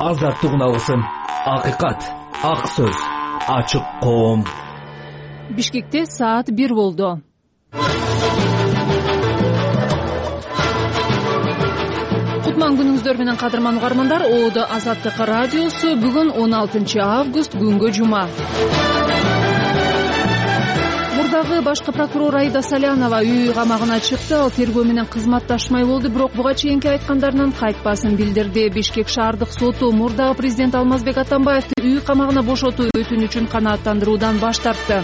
азаттык алсын. Акыйкат, ак сөз, ачык коом. Бишкекте саат 1 болду. Кутман күнүңүздөр менен кадырман угармандар. Оодо Азаттык радиосу бүгүн 16 август күнгө жума. Мурдагы башкы прокурор Аида Салянова үй камагына чыкты. Ал тергөө менен кызматташмай болду, бирок буга чейинки айткандарынан кайтпасын билдирди. Бишкек шаардык соту мурдагы президент Алмазбек Атамбаевди үй камагына бошотуу өтүнүчүн канааттандыруудан баш тартты.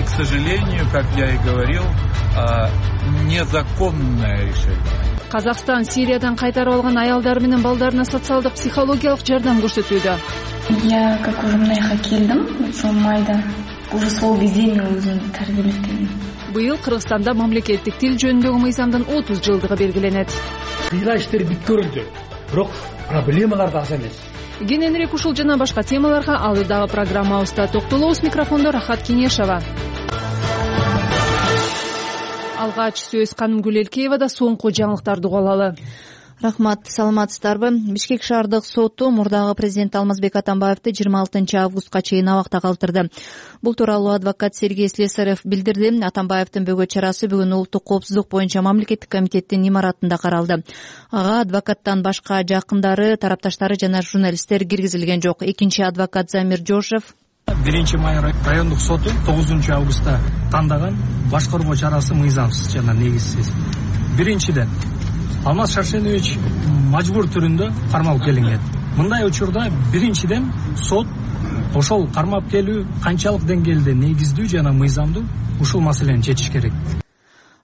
К сожалению, как я и говорил, незаконное решение. Казакстан Сириядан кайтарып алган аялдар менен балдарына социалдык психологиялык жардам көрсөтүүдө. Я как уже мынайга келдим, ошол майда уже сол кезде мен өзүмдү тарбиелеп. Быйыл Кыргызстанда мамлекеттик тил жөнүндөгү мыйзамдын 30 жылдыгы белгиленет. Кыйла иштер бүткөрүлдү, бирок проблемалар да аз эмес. Кененирээк ушул жана башка темаларга алдыдагы программабызда токтолобуз. Микрофондо Рахат Кенешова. Алгач сөз Канымгүл Элкеевада. Соңку жаңылыктарды угуп алалы. Рахмат, саламатсыздарбы? Бишкек шаардык соту мурдагы президент Алмазбек Атамбаевди 26 августка чейин абакта калтырды. Бул тууралуу адвокат Сергей Слесарев билдирди. Атамбаевдин бөгөт чарасы бүгүн улуттук коопсуздук боюнча мамлекеттик комитеттин имаратында каралды. Ага адвокаттан башка жакындары, тарапташтары жана журналисттер киргизилген жок. Экинчи адвокат Замир Жошев 1-май райондук соту 9 августта тандаган башкаруу чарасы мыйзамсыз жана негизсиз. Биринчиден, Алмаз Шаршенович мажбур түрүндө кармалып келинген. Мындай учурда биринчиден сот ошол кармап келүү канчалык деңгээлде негиздүү жана мыйзамдуу ушул маселени чечиш керек.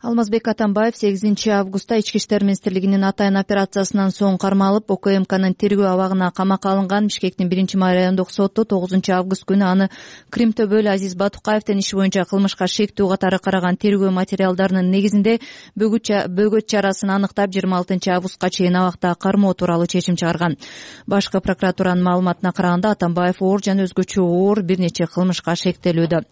Алмазбек Атамбаев 8 августта Ички иштер министрлигинин атайын операциясынан соң кармалып, ОКМКнын тергөө абагына камакка алынган. Бишкектин 1-май райондук соту 9 август күнү аны Крим-Төбөл Азиз Батукаевдин иши боюнча кылмышка шектүү катары караган тергөө материалдарынын негизинде бөгөт чарасын аныктап 26 августка чейин абакта кармоо тууралуу чечим чыгарган. Башкы прокуратуранын маалыматына караганда Атамбаев оор жана өзгөчө оор бир нече кылмышка шектелүүдө.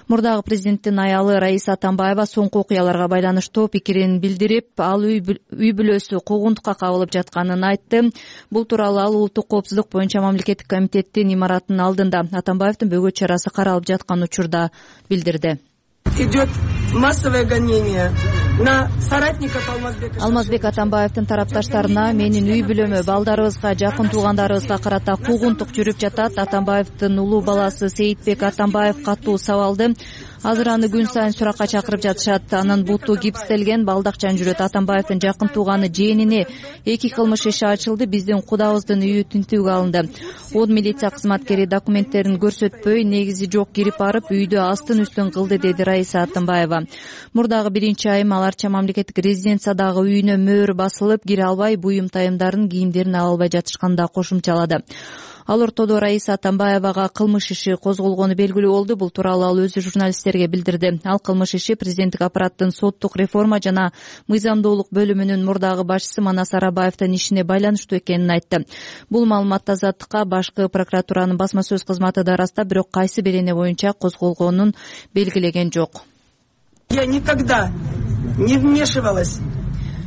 Мурдагы президенттин аялы Раиса Атамбаева соңку окуяларга байланыштуу пикирин билдирип, ал үй бүлөсү куугунтукка кабылып жатканын айтты. Бул тууралуу ал улуттук коопсуздук боюнча мамлекеттик комитеттин имаратынын алдында Атамбаевдин бөгөт чарасы каралып жаткан учурда билдирди. Идет массовое гонение на соратников Алмазбека. Алмазбек Атамбаевдин тарапташтарына менин үй бүлөмө, балдарыбызга, жакын туугандарыбызга карата куугунтук жүрүп жатат. Атамбаевдин улуу баласы Сейитбек Атамбаев катуу сабалды. Азыр аны күн сайын суракка чакырып жатышат. Анын буту гипстелген, балдакчан жүрөт. Атамбаевдин жакын тууганы жээнине 2 кылмыш иши ачылды. Биздин кудабыздын үйү тинтүүгө алынды. Од милиция кызматкери документтерин көрсөтпөй, негизи жок кирип барып, үйдү астын үстүн кылды, деди Раиса Атамбаева. Мурдагы 1-айым аларча мамлекеттик резиденциядагы үйүнө мөөр басылып, кире албай, буюм тайымдарын, кийимдерин ала албай жатышканда кошумчалады. Ал ортодо Раиса Атамбаевага кылмыш иши козголгону белгилүү болду. Бул тууралуу ал өзү журналисттерге билдирди. Ал кылмыш иши президенттик аппараттын соттук реформа жана мыйзамдуулук бөлүмүнүн мурдагы башчысы Манас Арабаевдин ишине байланыштуу экенин айтты. Бул маалыматты Азаттыкка башкы прокуратуранын басма сөз кызматы да ырастап, бирок кайсы берене боюнча козголгонун белгилеген жок. Я никогда не вмешивалась.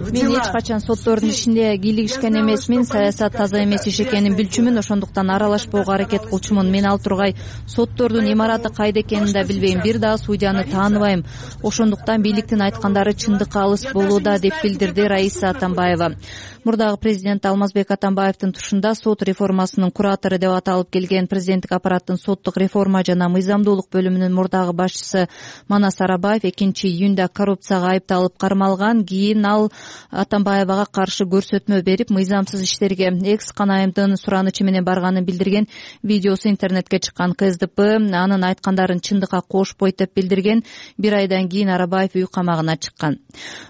Мен эч качан соттордун ишине кийлигишкен эмесмин. Саясат таза эмес иш экенин билчүмүн, ошондуктан аралашпоого аракет кылчумун. Мен ал тургай соттордун имараты кайда экенин да билбейм, бир дагы судьяны тааныбайм. Ошондуктан бийликтин айткандары чындыкка алыс болууда, деп билдирди Раиса Атамбаева. Мурдагы президент Алмазбек Атамбаевдин тушунда сот реформасынын куратору деп аталып келген президенттик аппараттын соттук реформа жана мыйзамдуулук бөлүмүнүн мурдагы башчысы Манас Арабаев 2-июнда коррупцияга айыпталып кармалган. Кийин ал Атамбаевага каршы көрсөтмө берип, мыйзамсыз иштерге экс-канайымдын суранычы менен барганын билдирген. Видеосу интернетке чыккан. КСДП анын айткандарын чындыкка кошпойт деп билдирген. Бир айдан кийин Арабаев үй камагына чыккан.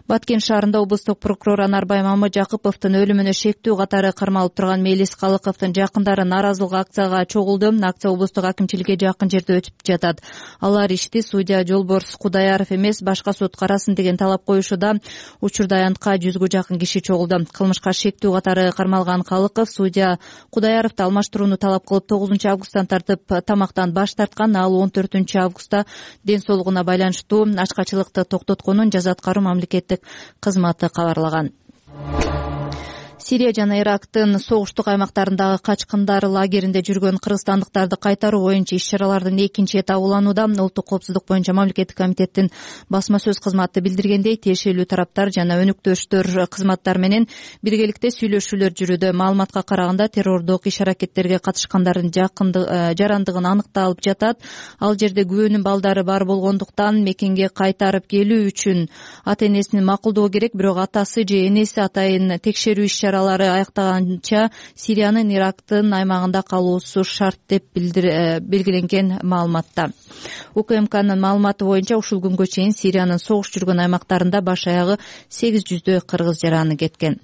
Баткен шаарында облустук прокурор Анарбай Мамыжакыповдун өлүмүнө шектүү катары кармалып турган Мелис Калыковдун жакындары нааразылык акцияга чогулду. Акция облустук акимчиликке жакын жерде өтүп жатат. Алар ишти судья Жолборс Кудаяров эмес, башка сот карасын деген талап коюшуда. Учурда аянтка 100га жакын киши чогулду. Кылмышка шектүү катары кармалган Калыков судья Кудаяровду алмаштырууну талап кылып 9 августтан тартып тамактан баш тарткан. Ал 14 августта ден соолугуна байланыштуу ачкачылыкты токтотконун жаза аткаруу мамлекеттик кызматы кабарлаган. Сирия жана Ирактын согуштук аймактарындагы качкындар лагеринде жүргөн кыргызстандыктарды кайтаруу боюнча иш-чаралардын экинчи этабы уланууда. Улуттук коопсуздук боюнча мамлекеттик комитеттин басма сөз кызматы билдиргендей, тиешелүү тараптар жана өнүктөштөр кызматтар менен биргеликте сүйлөшүүлөр жүрүүдө. Маалыматка караганда террордук иш-аракеттерге катышкандардын жарандыгын аныкталып жатат. Ал жерде күбөнүн балдары бар болгондуктан мекенге кайтарып келүү үчүн ата энесинин макулдугу керек, бирок атасы же энеси атайын текшерүү иш-чаралары аяктаганча Сириянын Ирактын аймагында калуусу шарт деп белгиленген маалыматта. УКМКнын маалыматы боюнча ушул күнгө чейин Сириянын согуш жүргөн аймактарында баш аягы 800 кыргыз жараны кеткен.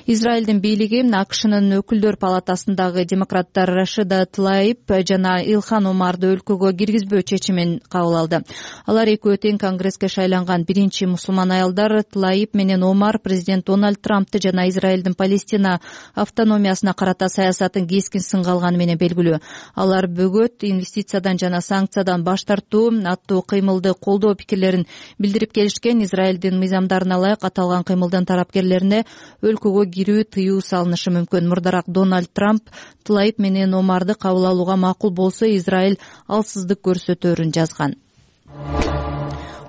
Израилдин бийлиги АКШнын өкүлдөр палатасындагы демократтар Рашида Тлаиб жана Илхан Омарды өлкөгө киргизбөө чечимин кабыл алды. Алар экөө тең конгресске шайланган биринчи мусулман аялдар. Тлаиб менен Омар президент Дональд Трампты жана Израилдин Палестина автономиясына карата саясатын кескин сынга алганы менен белгилүү. Алар бөгөт, инвестициядан жана санкциядан баш тартуу аттуу кыймылды колдоо пикирлерин билдирип келишкен. Израилдин мыйзамдарына ылайык аталган кыймылдын тарапкерлерине өлкөгө кирүү тыюу салынышы мүмкүн. Мурдараак Дональд Трамп Тлаиб менен Омарды кабыл алууга макул болсо Израиль алсыздык көрсөтөөрүн жазган.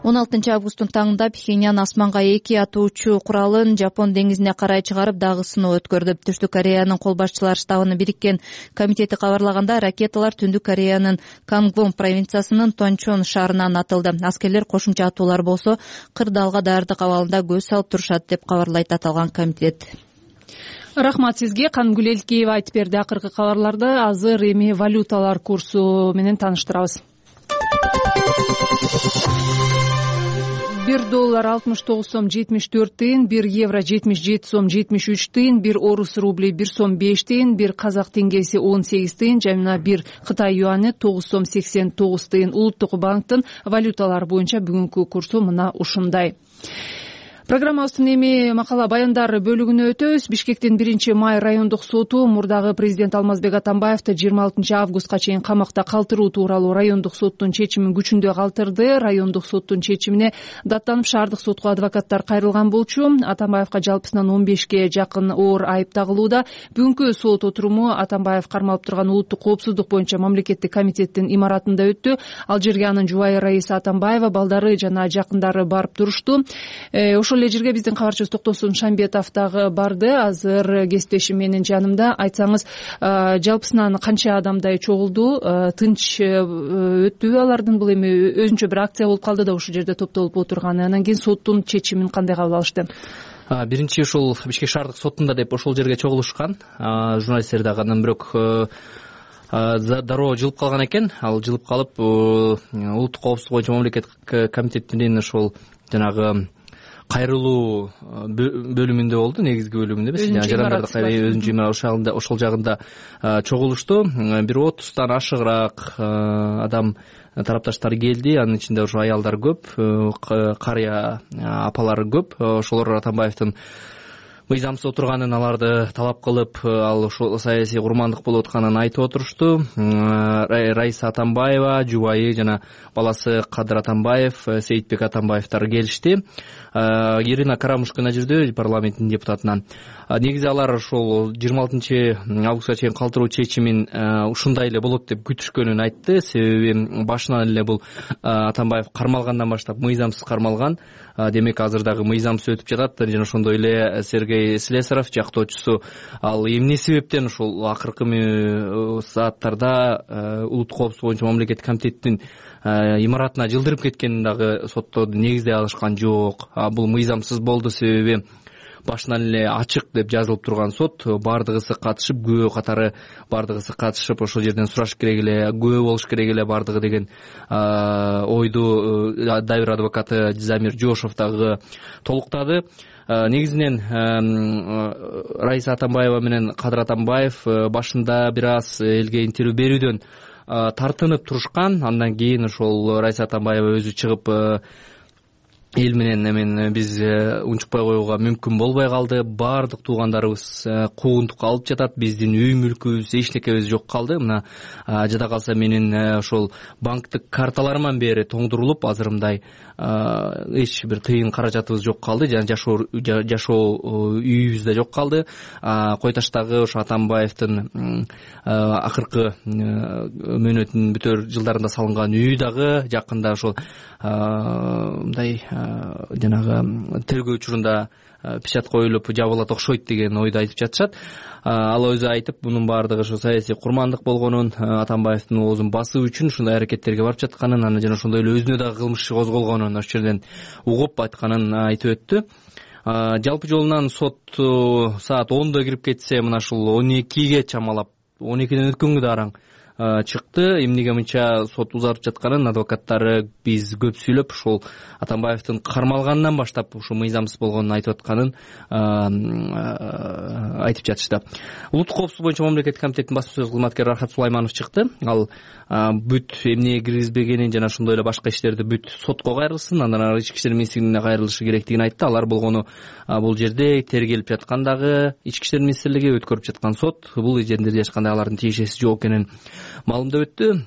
16 августтун таңында Пхеньян асманга 2 атуучу куралын Жапон деңизине карай чыгарып, дагы сыноо өткөрдү. Түштүк Кореянын кол башчылар штабынын бириккен комитети кабарлаганда, ракеталар Түндүк Кореянын Кангвон провинциясынын Тончон шаарынан атылды. Аскерлер кошумча атуулар болсо кырдаалга даярдык абалында көз салып турушат деп кабарлайт аталган комитет. Рахмат сизге. Канымгүл Элкеева айтып берди. Акыркы кабарларды азыр эми валюталар курсу менен тааныштырабыз. $1 69 сом 74 тыйын, €1 77 сом 73 тыйын, орус рубли 1 сом 5 тыйын, казак теңгеси 18 тыйын жана Кытай юаны 9 сом 89 тыйын. Улуттук банктын валюталар боюнча бүгүнкү курсу мына ушундай. Программабыздын эми макала баяндар бөлүгүнө өтөбүз. Бишкектин 1-май райондук соту мурдагы президент Алмазбек Атамбаевди 26 августка чейин камакта калтыруу тууралуу райондук соттун чечимин күчүндө калтырды. Райондук соттун чечимине даттанып шаардык сотко адвокаттар кайрылган болчу. Атамбаевга жалпысынан 15ке жакын оор айып тагылууда. Бүгүнкү сот отуруму Атамбаев кармалып турган улуттук коопсуздук боюнча мамлекеттик комитеттин имаратында өттү. Ал жерге анын жубайы Раиса Атамбаева, балдары жана жакындары барып турушту. Ошол эле жерге биздин кабарчыбыз Токтосун Шамбетов дагы барды. Азыр кесиптешим менин жанымда. Айтсаңыз, жалпысынан канча адамдай чогулду? Тынч өттүбү алардын бул эми өзүнчө бир акция болуп калды да ушул жерде топтолуп отурганы. Анан кийин соттун чечимин кандай кабыл алышты? Биринчи ушул Бишкек шаардык сотунда деп ошол жерге чогулушкан. Журналисттер дагы анан бирок дароо жылып калган экен. Ал жылып калып, улуттук коопсуздук боюнча мамлекеттик комитеттин ошол жанагы кайрылуу бөлүмүндө болду, негизги бөлүмүндө эмес, жарандарды өзүнчө имарат ошол жагында чогулушту. Бир 30тан ашыгыраак адам тарапташтар келди. Анын ичинде ошо аялдар көп, карыя апалар көп. Ошолор Атамбаевдин мыйзамсыз отурганын аларды талап кылып, ал ошол саясий курмандык болуп атканын айтып отурушту. Раиса Атамбаева, жубайы жана баласы Кадыр Атамбаев, Сейитбек Атамбаевдар келишти. Ирина Карамушкина жүрдү, парламенттин депутатынан. Негизи алар ошол 26 августка чейин калтыруу чечимин ушундай эле болот деп күтүшкөнүн айтты. Себеби башынан эле бул Атамбаев кармалгандан баштап мыйзамсыз кармалган. Демек азыр дагы мыйзамсыз өтүп жатат. Жана ошондой эле Сергей Слесаров жактоочусу, ал эмне себептен ушул акыркы сааттарда улуттук коопсуздук боюнча мамлекеттик комитеттин имаратына жылдырып кеткенин дагы сотто негиздей алышкан жок. Бул мыйзамсыз болду, себеби башынан эле ачык деп жазылып турган сот, бардыгысы катышып, күбө катары бардыгысы катышып, ошол жерден сураш керек эле, күбө болуш керек эле бардыгы деген ойду дайыр адвокаты Замир Жошов дагы толуктады. Негизинен Раиса Атамбаева менен Кадыр Атамбаев башында бир аз элге интервью берүүдөн тартынып турушкан. Андан кийин ошол Раиса Атамбаева өзү чыгып эл менен биз унчукпай коюуга мүмкүн болбой калды. Баардык туугандарыбыз куугунтукка алып жатат. Биздин үй мүлкүбүз, эч некебиз жок калды. Мына жада калса менин ошол банктык карталарыман бери тоңдурулуп, азыр мындай эч бир тыйын каражатыбыз жок калды. Жана жашоо үйүбүз да жок калды. Кой таштагы ошо Атамбаевдин акыркы мөөнөтүнүн бүтөр жылдарында салынган үй дагы жакында ошол мындай жанагы тергөө учурунда печать коюлуп жабылат окшойт деген ойду айтып жатышат. Ал өзү айтып, мунун баардыгы ошо саясий курмандык болгонун, Атамбаевдин оозун басуу үчүн ушундай аракеттерге барып жатканын, анан жана ошондой эле өзүнө дагы кылмыш иши козголгонун ошол жерден угуп айтканын айтып өттү. Жалпы жолунан сот саат 10-да кирип кетсе, мына ушул 12ге чамалап, 12ден өткөнгө да араң чыкты. Эмнеге мынча сот узартып жатканын адвокаттары биз көп сүйлөп, ушул Атамбаевдин кармалганынан баштап ушу мыйзамсыз болгонун айтып атканын айтып жатышты. Улуттук коопсуздук боюнча мамлекеттик комитеттин басма сөз кызматкери Рахат Сулайманов чыкты. Ал бүт эмнеге киргизбегенин жана ошондой эле башка иштерди бүт сотко кайрылсын, андан ары ички иштер министрлигине кайрылышы керектигин айтты. Алар болгону бул жерде тергелип жаткандагы ички иштер министрлиги, өткөрүп жаткан сот бул жерде эч кандай алардын тиешеси жок экенин маалымдап өттү.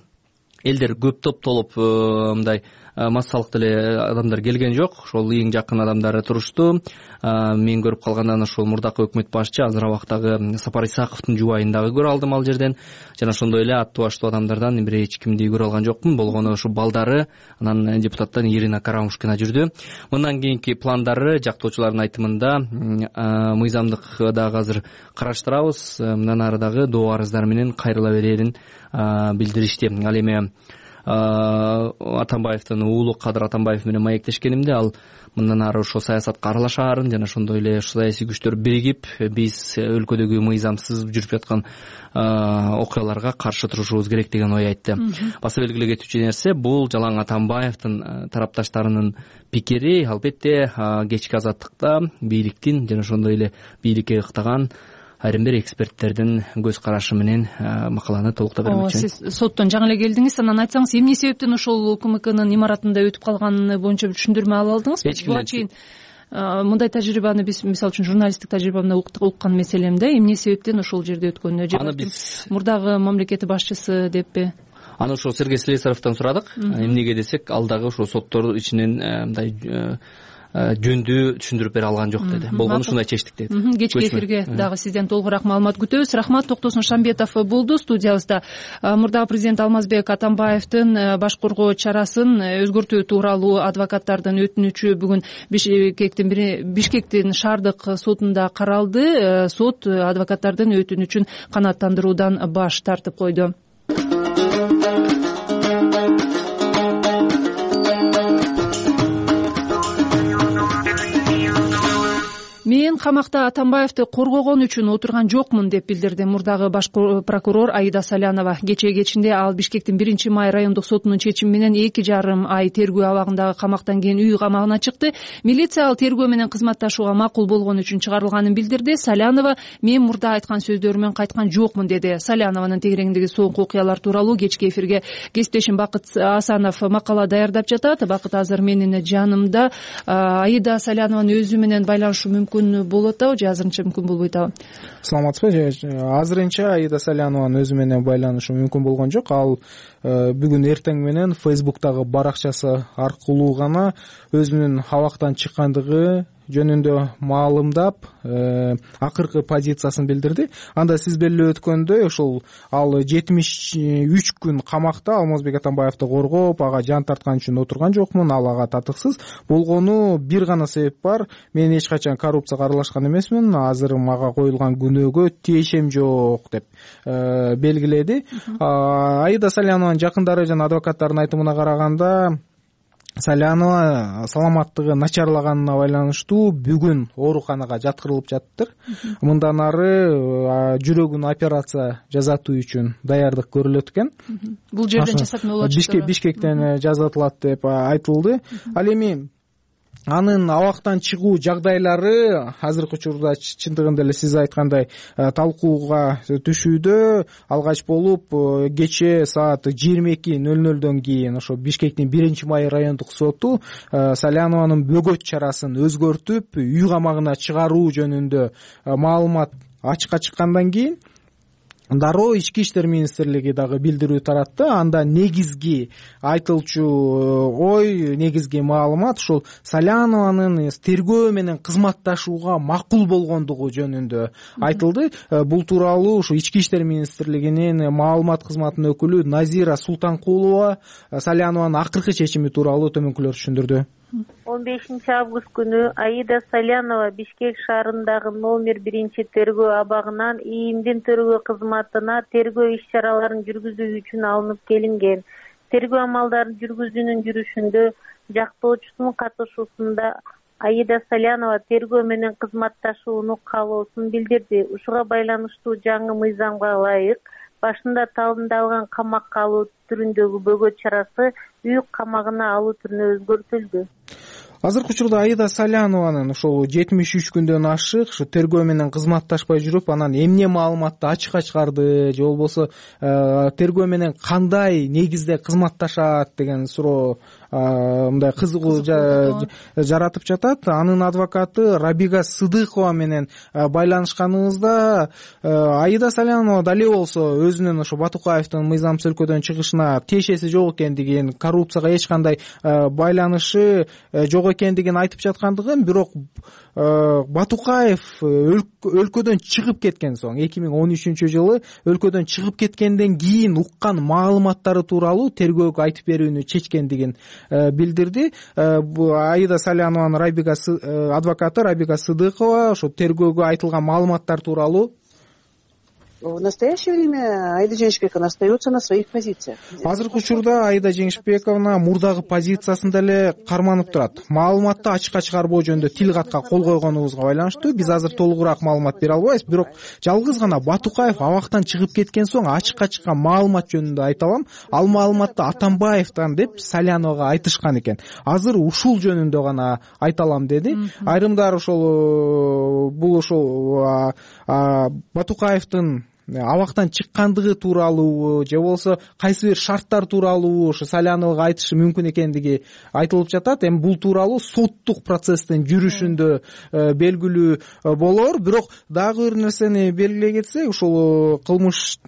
Элдер көп топтолуп мындай массалык деле адамдар келген жок. Ошол эң жакын адамдары турушту. Мен көрүп калгандан ошол мурдакы өкмөт башчы азыр абактагы Сапар Исаковдун жубайын дагы көрө алдым ал жерден. Жана ошондой эле аттуу баштуу адамдардан бир эч кимди көрө алган жокмун. Болгону ошо балдары, анан депутаттан Ирина Карамушкина жүрдү. Мындан кийинки пландары жактоочулардын айтымында мыйзамдык дагы азыр караштырабыз. Мындан ары дагы доо арыздар менен кайрыла берерин билдиришти. Ал эми Атамбаевдин уулу Кадыр Атамбаев менен маектешкенимде, ал мындан ары ошо саясатка аралашаарын жана ошондой эле саясий күчтөр биригип биз өлкөдөгү мыйзамсыз жүрүп жаткан окуяларга каршы турушубуз керек деген ой айтты. Баса белгилей кетүүчү нерсе, бул жалаң Атамбаевдин тарапташтарынын пикири. Албетте кечки азаттыкта бийликтин жана ошондой эле бийликке ыктаган айрым бир эксперттердин көз карашы менен макаланы толуктап бермекчимин. Сиз соттон жаңы эле келдиңиз, анан айтсаңыз эмне себептен ошол УКМКнын имаратында өтүп калганы боюнча түшүндүрмө ала алдыңызбы? Буга чейин мындай тажрыйбаны биз, мисалы үчүн, журналисттик тажрыйбамда уккан маселем да, эмне себептен ошол жерде өткөнүнө же мурдагы мамлекет башчысы деппи? Аны ошо Сергей Слесаревден сурадык. Эмнеге десек, ал дагы ошо соттор ичинен мындай жөндүү түшүндүрүп бере алган жок деди. Болгону ушундай чечтик деди. Кечки эфирге дагы сизден толугураак маалымат күтөбүз. Рахмат. Токтосун Шамбетов болду студиябызда. Мурдагы президент Алмазбек Атамбаевдин баш коргоо чарасын өзгөртүү тууралуу адвокаттардын өтүнүчү бүгүн Бишкектин шаардык сотунда каралды. Сот адвокаттардын өтүнүчүн канааттандыруудан баш тартып койду. Мен камакта Атамбаевди коргогон үчүн отурган жокмун деп билдирди мурдагы баш прокурор Аида Салянова. Кечинде ал Бишкектин 1-май райондук сотунун чечими менен 2,5 ай тергөө абагындагы камактан кийин үй камагына чыкты. Милиция ал тергөө менен кызматташууга макул болгон үчүн чыгарылганын билдирди. Салянова мен мурда айткан сөздөрүмөн кайткан жокмун деди. Салянованын тегерегиндеги соңку окуялар тууралуу кечки эфирге кесиптешим Бакыт Асанов макала даярдап жатат. Бакыт азыр менин жанымда. Аида Салянованын өзү менен байланышуу мүмкүн болот атабы же азырынча мүмкүн болбойт атабы? Саламатсызбы? Азырынча Аида Салянованын өзү менен байланышуу мүмкүн болгон жок. Ал бүгүн эртең менен Facebook'тагы баракчасы аркылуу гана өзүнүн абактан чыккандыгы жөнүндө маалымдап, акыркы позициясын билдирди. Анда сиз белгилеп өткөндөй, ошол ал 73 күн камакта Алмазбек Атамбаевди коргоп, ага жан тарткан үчүн отурган жокмун, ал ага татыксыз. Болгону бир гана себеп бар. Мен эч качан коррупцияга аралашкан эмесмин, азыр мага коюлган күнөөгө тиешем жок деп белгиледи. Аида Салянованын жакындары жана адвокаттардын айтымына караганда, Салянова саламаттыгы начарлаганына байланыштуу бүгүн ооруканага жаткырылып жаттыр. Мындан ары жүрөгүнө операция жасатуу үчүн даярдык көрүлөт экен. Бул жерден жасатма болот. Бишкектен жасатылат деп айтылды. Ал эми анын абактан чыгуу жагдайлары азыркы учурда чындыгында эле сиз айткандай талкууга түшүүдө. Алгач болуп кечээ саат 22:00 кийин ошо Бишкектин 1-май райондук соту Салянованын бөгөт чарасын өзгөртүп үй камагына чыгаруу жөнүндө маалымат ачыкка чыккандан кийин дароо Ички иштер министрлиги дагы билдирүү таратты. Анда негизги айтылчу ой, негизги маалымат ушул Салянованын тергөө менен кызматташууга макул болгондугу жөнүндө айтылды. Бул тууралуу ушу Ички иштер министрлигинин маалымат кызматынын өкүлү Назира Султанкулова Салянованын акыркы чечими тууралуу төмөнкүлөрдү түшүндүрдү. 15 август күнү Аида Салянова Бишкек шаарындагы номер 1 тергөө абагынан ИИМдин тергөө кызматына тергөө иш-чараларын жүргүзүү үчүн алынып келинген. Тергөө амалдарын жүргүзүүнүн жүрүшүндө жактоочусунун катышуусунда Аида Салянова тергөө менен кызматташууну каалоосун билдирди. Ушуга байланыштуу жаңы мыйзамга ылайык башында талымдалган камакка алуу түрүндөгү бөгөт чарасы үй камагына алуу түрүнө өзгөртүлдү. Азыркы учурда Аида Салянованын ошол 73 күндөн ашык ушу тергөө менен кызматташпай жүрүп, анан эмне маалыматты ачыкка чыгарды же болбосо тергөө менен кандай негизде кызматташат деген суроо мындай кызыгуу жаратып жатат. Анын адвокаты Рабига Сыдыкова менен байланышканыбызда Аида Салянова дале болсо өзүнүн ошо Батукаевдин мыйзамсыз өлкөдөн чыгышына тиешеси жок экендигин, коррупцияга эч кандай байланышы жок экендигин айтып жаткандыгын, бирок Батукаев өлкөдөн чыгып кеткен соң 2013-жылы өлкөдөн чыгып кеткенден кийин уккан маалыматтары тууралуу тергөөгө айтып берүүнү чечкендигин билдирди. Аида Салянованын адвокаты Рабига Сыдыкова ошо тергөөгө айтылган маалыматтар тууралуу В настоящее время Аида Жеңишбековна остается на своих позициях. Азыркы учурда Аида Жеңишбековна мурдагы позициясында эле карманып турат. Маалыматты ачыкка чыгарбоо жөнүндө тил катка кол койгонубузга байланыштуу биз азыр толугураак маалымат бере албайбыз, бирок жалгыз гана Батукаев абактан чыгып кеткен соң ачыкка чыккан маалымат жөнүндө айта алам. Ал маалыматты Атамбаевден деп Саляновага айтышкан экен. Азыр ушул жөнүндө гана айта алам деди. Айрымдар ошол бул ошол Батукаевдин абактан чыккандыгы тууралуу же болбосо кайсы бир шарттар тууралуу ошо Саляновага айтышы мүмкүн экендиги айтылып жатат. Эми бул тууралуу соттук процесстин жүрүшүндө белгилүү болор. Бирок дагы бир нерсени белгилей кетсек, ушул кылмыш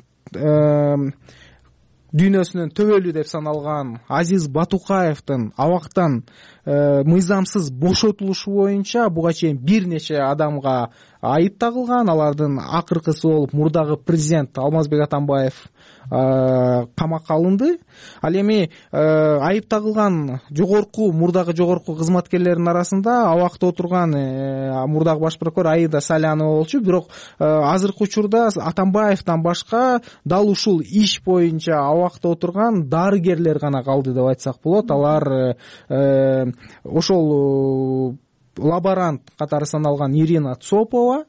дүйнөсүнөн төбөлүү деп саналган Азиз Батукаевдин абактан мыйзамсыз бошотулушу боюнча буга чейин бир нече адамга айып тагылган. Алардын акыркысы болуп мурдагы президент Алмазбек Атамбаев камакка алынды. Ал эми айып тагылган мурдагы жогорку кызматкерлердин арасында абакта отурган мурдагы баш прокурор Аида Салянова болчу. Бирок азыркы учурда Атамбаевден башка дал ушул иш боюнча абакта отурган дарыгерлер гана калды деп айтсак болот. Алар ошол лаборант катары саналган Ирина Цопова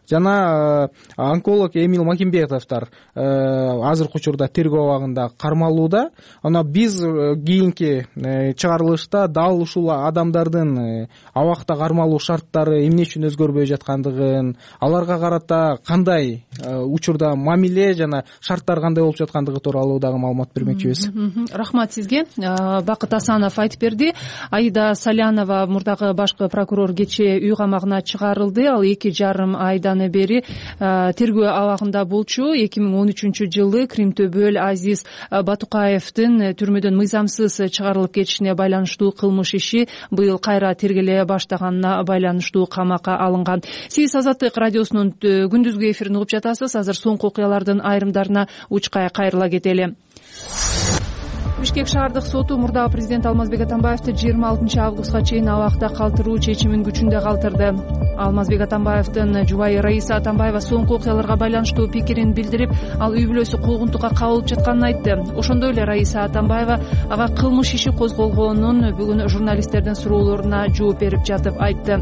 жана онколог Эмил Макимбетовдор азыркы учурда тергөө абагында кармалууда. Ана биз кийинки чыгарылышта дал ушул адамдардын абакта кармалуу шарттары эмне үчүн өзгөрбөй жаткандыгын, аларга карата кандай учурда мамиле жана шарттар кандай болуп жаткандыгы тууралуу дагы маалымат бермекчибиз. Рахмат сизге. Бакыт Асанов айтып берди. Аида Салянова мурдагы башкы прокурор кечээ үй камагына чыгарылды. Ал 2,5 айдан бери тергөө абагында болчу. 2013-жылы Кримтөбөл Азиз Батукаевдин түрмөдөн мыйзамсыз чыгарылып кетишине байланыштуу кылмыш иши быйыл кайра тергеле баштаганына байланыштуу камакка алынган. Сиз Азаттык радиосунун күндүзгү эфирин угуп жатасыз. Азыр соңку окуялардын айрымдарына учкай кайрыла кетели. Бишкек шаардык соту мурдагы президент Алмазбек Атамбаевди 26 августка чейин абакта калтыруу чечимин күчүндө калтырды. Алмазбек Атамбаевдин жубайы Раиса Атамбаева соңку окуяларга байланыштуу пикирин билдирип, ал үй бүлөсү куугунтукка кабылып жатканын айтты. Ошондой эле Раиса Атамбаева ага кылмыш иши козголгонун бүгүн журналисттердин суроолоруна жооп берип жатып айтты.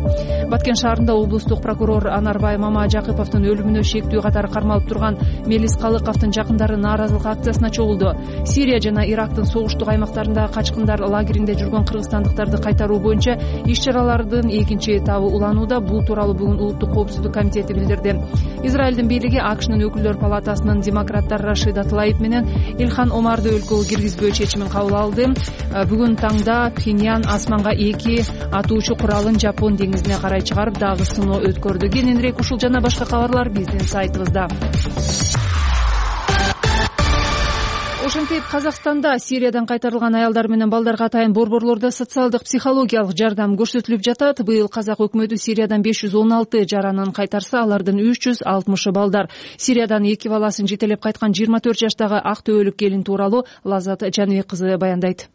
Баткен шаарында облустук прокурор Анарбай Мамажакыповдун өлүмүнө шектүү катары кармалып турган Мелис Калыковдун жакындары нааразылык акциясына чогулду. Сирия жана Ирактын согуштук аймактарында качкындар лагеринде жүргөн кыргызстандыктарды кайтаруу боюнча иш-чаралардын экинчи этабы уланууда. Бул тууралуу бүгүн Улуттук коопсуздук комитети билдирди. Израилдин бийлиги АКШнын өкүлдөр палатасынын демократтар Рашида Тлаиб менен Илхан Омарды өлкөгө киргизбөө чечимин кабыл алды. Бүгүн таңда Пхеньян асманга 2 атуучу куралын Жапон деңизине карай чыгарып, дагы сыноо өткөрдү. Кененирээк ушул жана башка кабарлар биздин сайтыбызда. Ошентип Казакстанда Сириядан кайтарылган аялдар менен балдарга атайын борборлордо социалдык психологиялык жардам көрсөтүлүп жатат. Быйыл казак өкмөтү Сириядан 516 жаранын кайтарса, алардын 360 балдар. Сириядан 2 баласын жетелеп кайткан 24 жаштагы Актөбөлүк келин тууралуу Лаззат Жаныбек кызы баяндайт.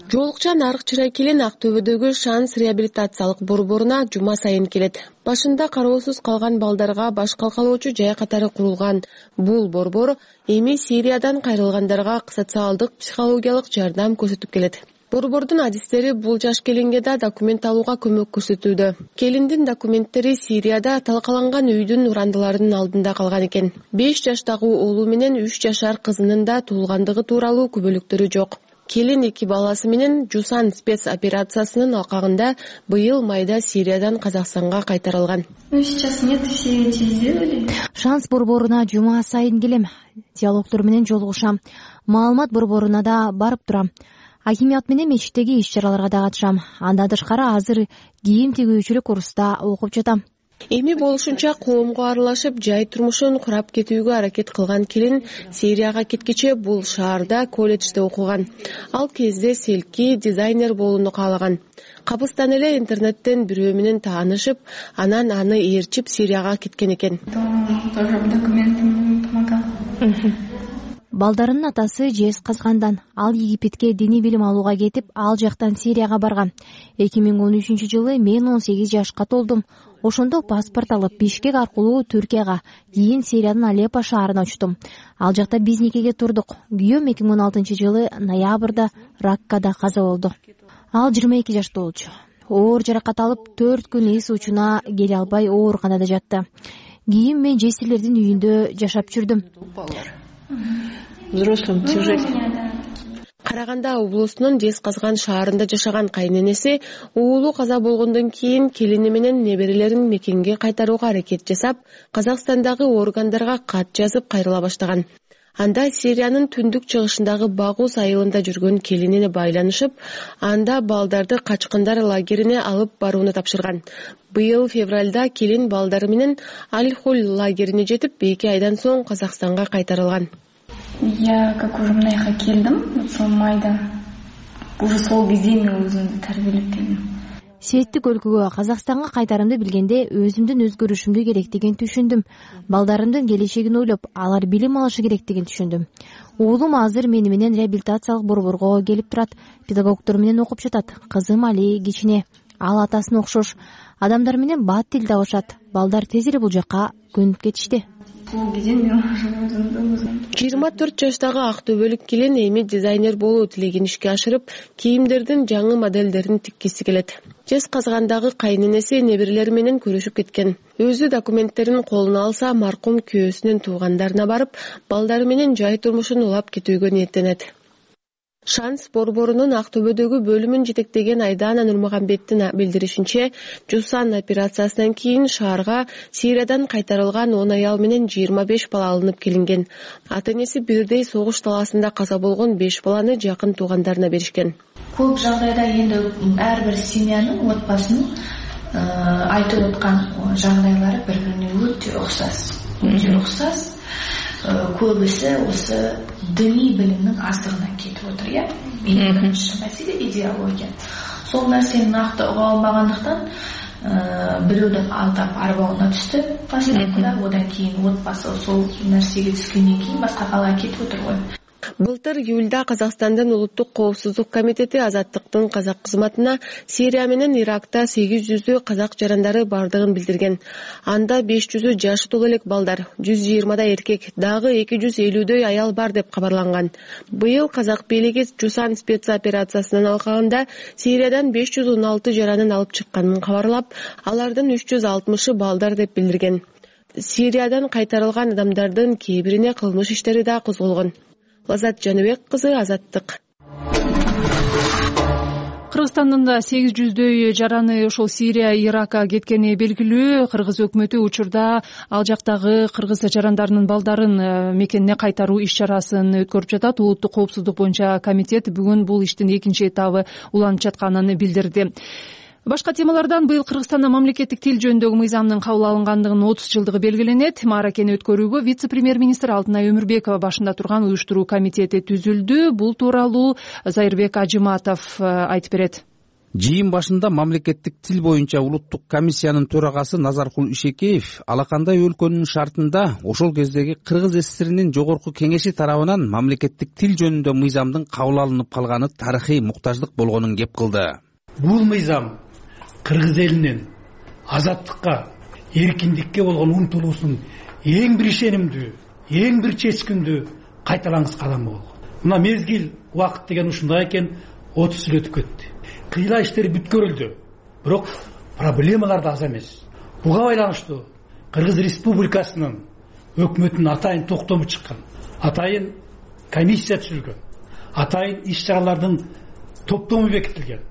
Жоолукча Нарык Чырай келин Актөбөдөгү Шанс реабилитациялык борборуна жума сайын келет. Башында кароосуз калган балдарга баш калкалоочу жай катары курулган бул борбор эми Сириядан кайрылгандарга социалдык психологиялык жардам көрсөтүп келет. Борбордун адистери бул жаш келинге да документ алууга көмөк көрсөтүүдө. Келиндин документтери Сирияда талкаланган үйдүн урандыларынын алдында калган экен. 5 жаштагы уулу менен 3 жашар кызынын да туулгандыгы тууралуу күбөлүктөрү жок. Келин 2 баласы менен Жусан спецоперациясынын алкагында быйыл майда Сириядан Казакстанга кайтарылган. Сейчас нет, все эти сделали. Шанс борборуна жума сайын келем. Диалогтор менен жолугушам. Маалымат борборуна да барып турам. Акимият менен мечиттеги иш-чараларга да катышам. Андан тышкары азыр кийим тигүүчүлүк курста окуп жатам. Эми болушунча коомго аралашып, жай турмушун курап кетүүгө аракет кылган келин Сирияга кеткече бул шаарда колледжде окуган. Ал кезде селки дизайнер болууну каалаган. Кабыстан эле интернеттен бирөө менен таанышып, анан аны ээрчип Сирияга кеткен экен. Балдарынын атасы жез казгандан ал Египетке диний билим алууга кетип, ал жактан Сирияга барган. 2013-жылы мен 18 жашка толдум. Ошондо паспорт алып Бишкек аркылуу Түркияга, кийин Сириянын Алеппо шаарына учтум. Ал жакта биз никеге турдук. Күйөөм 2016-жылы ноябрда Раккада каза болду. Ал 22 жашта болчу. Оор жаракат алып 4 күн эс учуна келе албай ооруканада жатты. Кийин мен жесирлердин үйүндө жашап жүрдүм. Взрослым тяжелее. Караганда облусунун Жез казган шаарында жашаган кайненеси уулу каза болгондон кийин келини менен неберелерин мекенге кайтарууга аракет жасап, Казакстандагы органдарга кат жазып кайрыла баштаган. Анда Сириянын түндүк чыгышындагы Багус айылында жүргөн келинине байланышып, анда балдарды качкындар лагерине алып барууну тапшырган. Быйыл февралда келин балдары менен Аль-Хуль лагерине жетип, 2 айдан соң Казакстанга кайтарылган. Я как уже мынайга келдим, сол майда. Уже сол кезде мен өзүмдү тарбиялеп келдим. Светтик өлкөгө Казакстанга кайтарымды билгенде өзүмдүн өзгөрүшүмдү керектигин түшүндүм. Балдарымдын келечегин ойлоп, алар билим алышы керектигин түшүндүм. Уулум азыр мени менен реабилитациялык борборго келип турат, педагогдор менен окуп жатат. Кызым Али кичине, ал атасына окшош. Адамдар менен бат тил табышат. Балдар тез эле бул жакка көнүп кетишти. 24 жаштагы Актөбөлүк келин эми дизайнер болуу тилегин ишке ашырып, кийимдердин жаңы моделдерин тиккиси келет. Жез казгандагы кайненеси неберелери менен көрүшүп кеткен. Өзү документтерин колуна алса, маркум күйөөсүнүн туугандарына барып, балдары менен жай турмушун улап кетүүгө ниеттенет. Шанс борборунун Актөбөдөгү бөлүмүн жетектеген Айдана Нурмагамбеттин билдиришинче, Жусан операциясынан кийин шаарга Сириядан кайтарылган 10 аял менен 25 бала алынып келинген. Ата-энеси бирдей согуш талаасында каза болгон 5 баланы жакын туугандарына беришкен. Көп жагдайда энди ар бир семьянын, отбасынын айтып аткан жагдайлары бири-бирине өтө окшош. Көбүсү осы діни билимдин аздыгынан кетип отур, я. Биринчи маселе идеология. Сол нерсени накты уга албагандыктан бирөөдөн алдап арбауына түштү. Башкалар одан кийин отбасы сол нерсеге түшкөндөн кийин башка калаа кетип отур го. Былтыр июлда Казакстандын улуттук коопсуздук комитети Азаттыктын казак кызматына Сирия менен Иракта 800 казак жарандары бардыгын билдирген. Анда 500 жашы толо элек балдар, 120 эркек, дагы 250 аял бар деп кабарланган. Быйыл казак бийлиги Жусан спецоперациясынан алкагында Сириядан 516 жаранын алып чыкканын кабарлап, алардын 360 балдар деп билдирген. Сириядан кайтарылган адамдардын кээ бирине кылмыш иштери да козголгон. Лазат Жаныбек кызы, Азаттык. Кыргызстандын да 800 жараны ошол Сирия, Иракка кеткени белгилүү. Кыргыз өкмөтү учурда ал жактагы кыргыз жарандарынын балдарын мекенине кайтаруу иш-чарасын өткөрүп жатат. Улуттук коопсуздук боюнча комитет бүгүн бул иштин экинчи этабы уланып жатканын билдирди. Башка темалардан быйыл Кыргызстанда мамлекеттик тил жөнүндөгү мыйзамдын кабыл алынгандыгынын 30 жылдыгы белгиленет. Мааракени өткөрүүгө вице-премьер-министр Алтынай Өмүрбекова башында турган уюштуруу комитети түзүлдү. Бул тууралуу Зайырбек Ажыматов айтып берет. Жыйын башында мамлекеттик тил боюнча улуттук комиссиянын төрагасы Назаркул Ишекеев алакандай өлкөнүн шартында ошол кездеги Кыргыз ССРинин жогорку кеңеши тарабынан мамлекеттик тил жөнүндө мыйзамдын кабыл алынып калганы тарыхый муктаждык болгонун кеп кылды. Бул мыйзам Кыргыз элинин азаттыкка, эркиндикке болгон умтулуусунун эң бир ишенимдүү, эң бир чечкиндүү кайталангыс кадамы болгон. Мына мезгил убакыт деген ушундай экен, 30 жыл өтүп кетти. Кыйла иштер бүткөрүлдү, бирок проблемалар да аз эмес. Буга байланыштуу Кыргыз Республикасынын өкмөтүнүн атайын токтому чыккан, атайын комиссия түзүлгөн, атайын иш-чаралардын топтому бекитилген.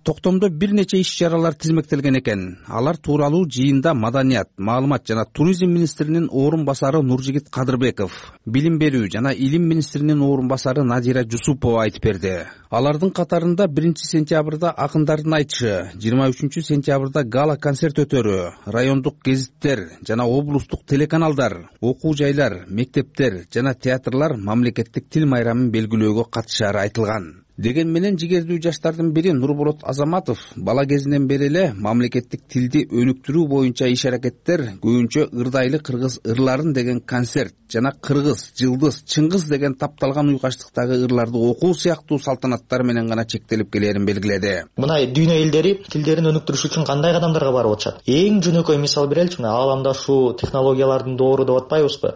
Токтомдо бир нече иш-чаралар тизмектелген экен. Алар тууралуу жыйында Маданият, маалымат жана туризм министринин орун басары Нуржигит Кадырбеков, билим берүү жана илим министринин орун басары Надира Жусупова айтып берди. Алардын катарында 1-сентябрда акындардын айтышы, 23-сентябрда гала концерт өтөрү, райондук гезиттер жана облустук телеканалдар, окуу жайлар, мектептер жана театрлар мамлекеттик тил майрамын белгилөөгө катышары айтылган. Деген менен жигердүү жаштардын бири Нурболот Азаматов бала кезинен бери эле мамлекеттик тилди өнүктүрүү боюнча иш-аракеттер көбүнчө ырдайлы кыргыз ырларын деген концерт жана кыргыз, жылдыз, чыңгыз деген тапталган уйкачтыктагы ырларды окуу сыяктуу салтанаттар менен гана чектелип келерин белгиледи. Мына дүйнө элдери тилдерин өнүктүрүш үчүн кандай кадамдарга барып атышат? Эң жөнөкөй мисал береличи, мына ааламда ушул технологиялардын доору деп атпайбызбы?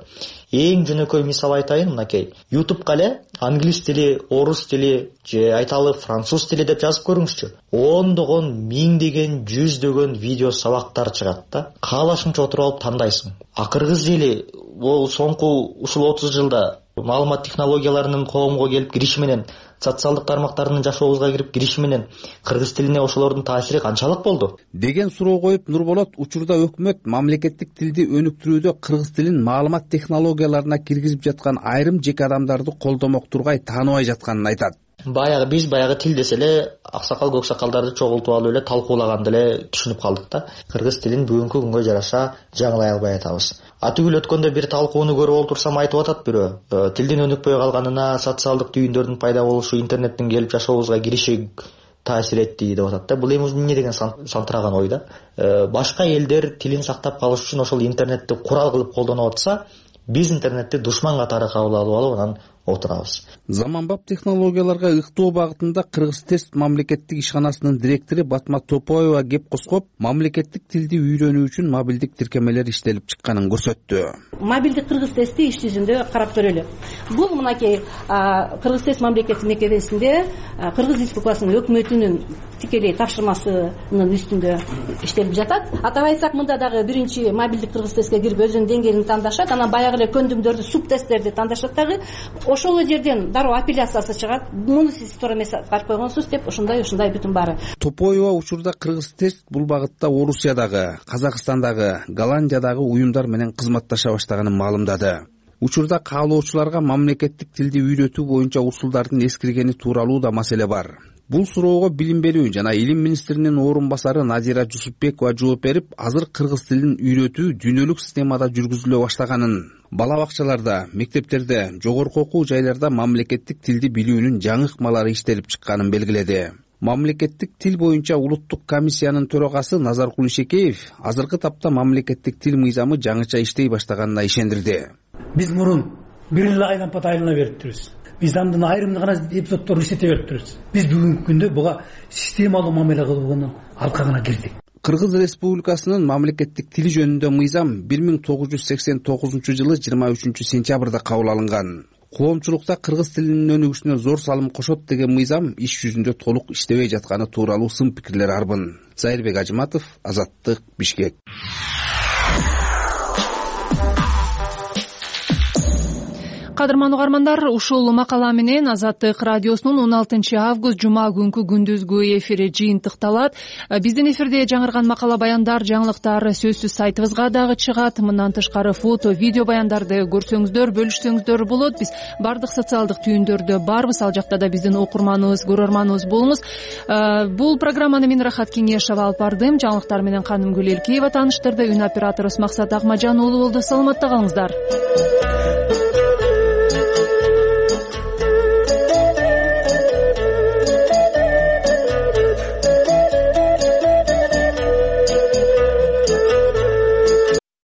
Эң жөнөкөй мисал айтайын, мынакей. YouTube'га эле англис тили, орус тили, же айталы француз тили деп жазып көрүңүзчү. Ондогон, миңдеген, жүздөгөн видео сабактар чыгат да. Каалашыңча отуруп алып тандайсың. А кыргыз эли ол соңку ушул 30 жылда маалымат технологияларынын коомго келип кириши менен, социалдык тармактардын жашообузга кирип кириши менен кыргыз тилине ошолордун таасири канчалык болду? Деген суроо коюп Нурболот учурда өкмөт мамлекеттик тилди өнүктүрүүдө кыргыз тилин маалымат технологияларына киргизип жаткан айрым жеке адамдарды колдомок тургай тааныбай жатканын айтат. Биз тил десе эле аксакал көксакалдарды чогултуп алып эле талкуулаганды эле түшүнүп калдык да. Кыргыз тилин бүгүнкү күнгө жараша жаңылай албай атабыз. Түгүл өткөндө бир талкууну көрүп отурсам айтып атат бирөө. Тилдин өнүкпөй калганына социалдык түйүндөрдүн пайда болушу, интернеттин келип жашообузга кириши таасир этти деп атат да. Бул эми эмне деген сантыраган ой да. Башка элдер тилин сактап калыш үчүн ошол интернетти курал кылып колдонуп атса, биз интернетти душман катары кабыл алып анан отурабыз. Заманбап технологияларга ыктоо багытында Кыргыз тест мамлекеттик ишканасынын директору Батма Топоева кеп коскоп, мамлекеттик тилди үйрөнүү үчүн мобилдик тиркемелер иштелип чыкканын көрсөттү. Мобилдик Кыргыз тести иш жүзүндө карап көрөлү. Бул мынакей Кыргыз тест мамлекеттик мекемесинде Кыргыз Республикасынын өкмөтүнүн тикелей тапшырмасынын үстүндө иштелип жатат. Атап айтсак, мында дагы биринчи мобилдик Кыргыз тестке кирип өзүнүн деңгээлин тандашат, анан баягы эле көндүмдөрдү, субтесттерди тандашат дагы. Ошол жерден дароо апелляциясы чыгат. Муну сиз туура эмес барып койгонсуз деп ушундай бүтүн баары. Топоева учурда Кыргыз тест бул багытта Орусиядагы, Казакстандагы, Голландиядагы уюмдар менен кызматташа баштаганын маалымдады. Учурда каалоочуларга мамлекеттик тилди үйрөтүү боюнча усулдардын эскиргени тууралуу да маселе бар. Бул суроого билим берүү жана илим министринин орун басары Надира Жусупбекова жооп берип, азыр кыргыз тилин үйрөтүү дүйнөлүк системада жүргүзүлө баштаганын, бала бакчаларда, мектептерде, жогорку окуу жайларда мамлекеттик тилди билүүнүн жаңы ыкмалары иштелип чыкканын белгиледи. Мамлекеттик тил боюнча улуттук комиссиянын төрагасы Назаркул Ишекеев азыркы тапта мамлекеттик тил мыйзамы жаңыча иштей баштаганына ишендирди. Биз мурун бир эле айлампат айлана бериптирбиз. мыйзамдын айрымдуу гана эпизоддорун иштете берип турабыз. Биз бүгүнкү күндө буга системалуу мамиле кылууну алкагына кирдик. Кыргыз Республикасынын мамлекеттик тили жөнүндө мыйзам 1989 жылы 23 сентябрда кабыл алынган. Коомчулукта кыргыз тилинин өнүгүшүнө зор салым кошот деген мыйзам иш жүзүндө толук иштебей жатканы тууралуу сын пикирлер арбын. Зайырбек Ажыматов, Азаттык, Бишкек. Кадырман угармандар, ушул макала менен Азаттык радиосунун 16 август жума күнкү күндүзгү эфири жыйынтыкталат. Биздин эфирде жаңырган макала баяндар, жаңылыктар сөзсүз сайтыбызга дагы чыгат. Мындан тышкары фото, видео баяндарды көрсөңүздөр, бөлүшсөңүздөр болот. Биз бардык социалдык түйүндөрдө барбыз. Ал жакта да биздин окурманыбыз, көрөрманыбыз болуңуз. Бул программаны мен Рахат Кеңешова алып бардым. Жаңылыктар менен Канымгүл Элкеева тааныштырды. Үн операторубуз Максат Акмажан уулу болду. Саламатта калыңыздар.